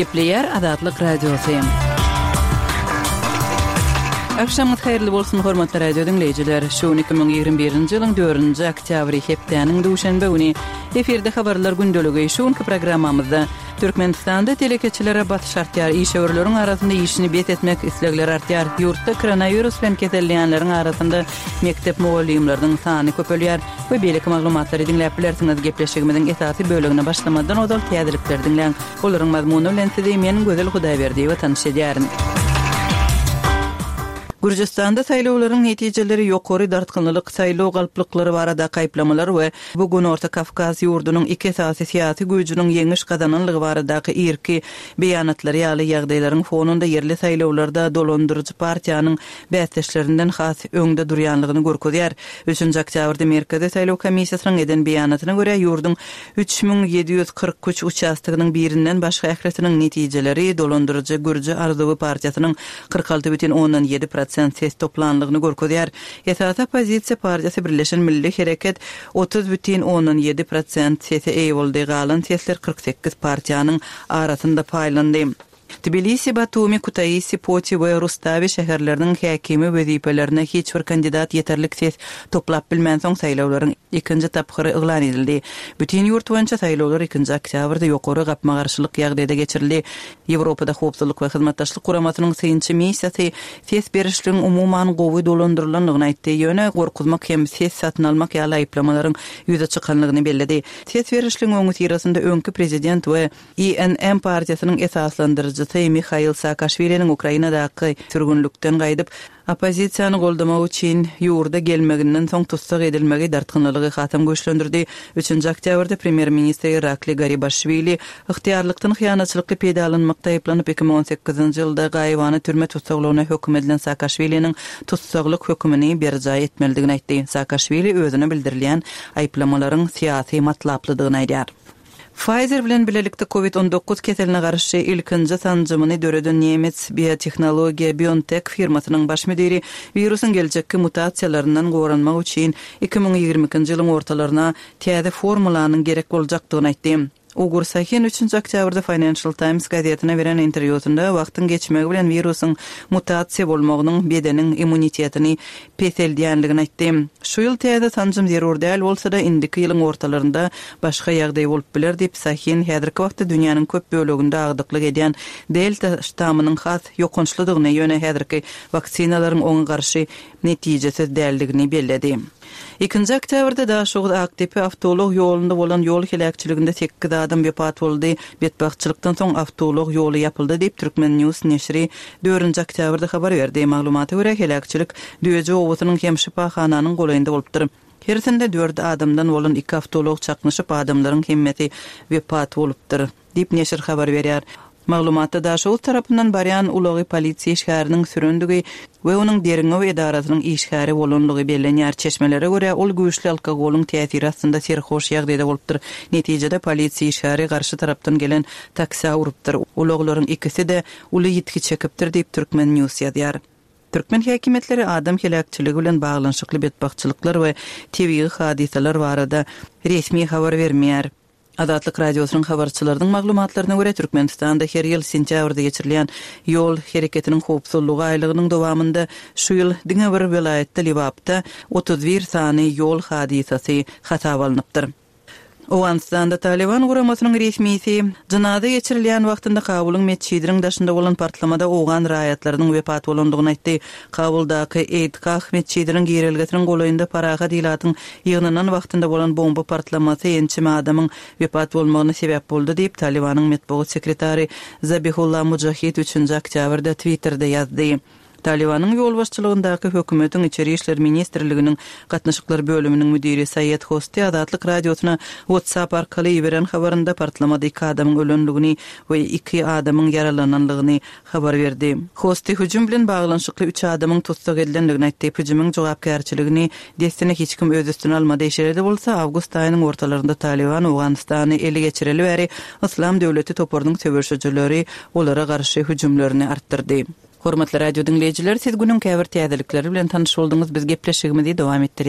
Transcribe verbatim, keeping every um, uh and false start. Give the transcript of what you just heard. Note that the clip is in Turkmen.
Gepleýär Azatlyk Radiosy. Agşamyňyz haýyrly bolsun, hormatly radio diňleýjiler. Şu gün iki müň ýigrimi birinji ýylyň dördünji oktýabry, hepdäniň duşenbe güni. Efirde habarlar gündeligi. Şu günki programmamyzda Türkmenistanda telekeçilere basyş artýar, işewürleriň arasynda işini bes etmek islegleri artýar, ýurtda koronawirus bilen keselleýänleriň arasynda mekdep mugallymlarynyň sany köpelýär we beýleki maglumatlary diňläp bilersiňiz. Gepleşigimiziň esasy bölegine başlamazdan ozal täzelikleri diňläň. Olaryň mazmuny bilen sizi men Gözel Hudaýberdiýewa tanyş edýärin. Gürjüstanda saýlawlaryň netijeleri ýokary dartgynlylyk, saýlaw galplyklary baradaky aýyplamalar we bu Günorta Kawkaz ýurdunyň iki esasy syýasy güýjüniň ýeňiş gazananlygy baradaky irki beýanatlary ýaly ýagdaýlaryň fonunda ýerli saýlawlarda dolandyryjy partiýanyň bäsdeşlerinden has öňde durýanlygyny görkezýär. Üçünji oktýabrda Merkezi saýlaw komissiýasynyň eden beýanatyna görä, ýurduň üç müň ýedi ýüz kyrk üç uçastogynyň birinden başga ählisiniň netijeleri dolandyryjy Gürji arzuwy partiýasynyň kyrk alty bütin ondan ýedi prosent ses toplanlygyny görkezýär. Esasy oppozisiýa partiýasy Birleşen Milli Hereket otuz bütin ondan ýedi prosent sese eýe boldy, galan sesler kyrk sekiz partiýanyň arasynda paýlandy. Tbilisi, Batumi, Kutaisi, Poti we Rustawi şäherleriniň häkimi wezipelerine hiç bir kandidat ýeterlik ses toplap bilmänsoň, saýlawlaryň ikinji tapgyry yglan edildi. Bütin ýurt boýunça saýlawlar ikinji oktýabrda ýokary gapma-garşylyk ýagdaýda geçirildi. Ýewropada Howpsuzlyk we Hyzmatdaşlyk Guramasynyň synçy missiýasy ses berişligiň umuman gowy dolandyrylandygyny aýtdy, ýöne gorkuzmak hem ses satyn almak ýaly aýyplamalaryň ýüze çykanlygyny belledi. Ses berişligiň öňüsyrasynda öňki prezident we I N M partiýasynyň esaslandyryjysy Mihail Saakaşwiliniň Ukrainadaky sürgünlikden gaýdyp, oppozisiýany goldamak üçin ýurda gelmeginden soň tussag edilmegi dartgynlylygy hasam güýçlendirdi. Üçünji oktýabrda premýer-ministr Irakli Garibaşwili ygtyýarlykdan hyýanatçylykly peýdalanmakda aýyplanyp, iki müň on sekizinji ýylda gaýybana türme tussaglygyna höküm edilen Saakaşwiliniň tussaglyk hökümini berjaý etmelidigini aýtdy. Saakaşwili özüne bildirilýän aýyplamalaryň syýasy matlaplydygyny aýdýar. Pfizer bilen bilelikde covid on dokuz keseline garşy ilkinji sanjymyny döreden nemes biotehnologiýa BioNTech firmasynyň baş müdiri wirusyň geljekki mutasiýalaryndan goranmak üçin iki müň ýigrimi ikinji ýylyň ortalaryna täze formulanyň gerek boljakdygyny aýtdy. Ugur Sahin üçünji oktýabrda Financial Times gazetine beren interwýusynda wagtyň geçmegi bilen wirusyň mutasiýa bolmagynyň bedeniň immunitetini peseldýänligini aýtdy. Şu ýyl täze sanjym zerur däl bolsa-da, indiki ýylyň ortalarynda başga ýagdaý bolup biler diýip, Sahin häzirki wagtda dünýäniň köp böleginde agdyklyk edýän Delta ştamynyň has ýokançlydygyny, ýöne häzirki waksinalaryň oňa garşy netijesiz däldigini belledi. Ikinji oktýabrda Daşoguz Akdepe awtoulag ýolunda bolan ýol heläkçiliginde sekiz adam wepat boldy. Betbagtçylykdan soň awtoulag ýoly ýapyldy diýip, Türkmen News neşiri dördünji oktýabrda habar berdi. Maglumata görä, heläkçilik Düýeji obasynyň hem şypahananyň golaýynda bolupdyr. Hersinde dört adamdan bolan iki awtoulag çaknyşyp, adamlaryň hemmesi wepat bolupdyr diýip, neşir habar berýär. Maglumatda Daşoguz tarapyndan barýan ulagy polisiýa işgäriniň sürendigi we onuň derňew edarasynyň işgäri bolanlygy bellenýär. Çeşmelere görä, ol güýçli alkogolyň täsiri astynda serhoş ýagdaýda bolupdyr. Netijede polisiýa işgäri garşy tarapdan gelen taksä urupdyr. Ulaglaryň ikisi-de uly ýitgi çekipdir diýip, Türkmen News ýazýar. Türkmen häkimiýetleri adam heläkçiligi bilen baglanyşykly betbagtçylyklar we tebigy hadysalar barada resmi habar bermeýär. Azatlyk Radiosynyň habarçylarynyň maglumatlaryna görä, Türkmenistanda her ýyl sentýabrda geçirilýän ýol hereketiniň howpsuzlygy aýlygynyň dowamynda şu ýyl diňe bir welaýatda Lebapda otuz bir sany ýol hadysasy hasaba alnypdyr. Owganystanda Taliban guramasynyň resmisi jynaza geçirilýän wagtynda Kabulyň metjidiniň daşynda bolan partlamada owgan raýatlarynyň wepat bolandygyny aýtdy. Kabuldaky Eýdgah metjidiniň girelgesiniň golaýynda parahat ilatyň ýygnanan wagtynda bolan bomba partlamasy ençeme adamyň wepat bolmagyna sebäp boldy diýip, Talibanyň metbugat sekretary Zabihullah Mujahid üçünji oktýabrda Twitterде ýazdy. Talibanyň ýolbaşçylygyndaky hökümetiň içeri işler ministrliginiň gatnaşyklar bölüminiň müdiri Saýed Hosti Azatlyk Radiosyna WhatsApp arkaly iberen habarynda partlamada iki adamyň ölenligini we iki adamyň ýaralananlygyny habar berdi. Hosti hüjüm bilen baglanyşykly üç adamyň tussag edilenligini aýtdy. Hüjümiň jogapkärçiligini dessine hiç kim öz üstüne almady. Şeýle-de bolsa, awgust aýynyň ortalarynda Taliban Owganystany ele geçireli bäri Yslam döwleti toparynyň söweşijileri olara garşy hüjümlerini artdyrdy. Hormatly radio diňleýjiler, siz günüň käbir täzelikleri bilen tanyş bolduňyz. Biz gepleşigimizi dowam etdirýäris.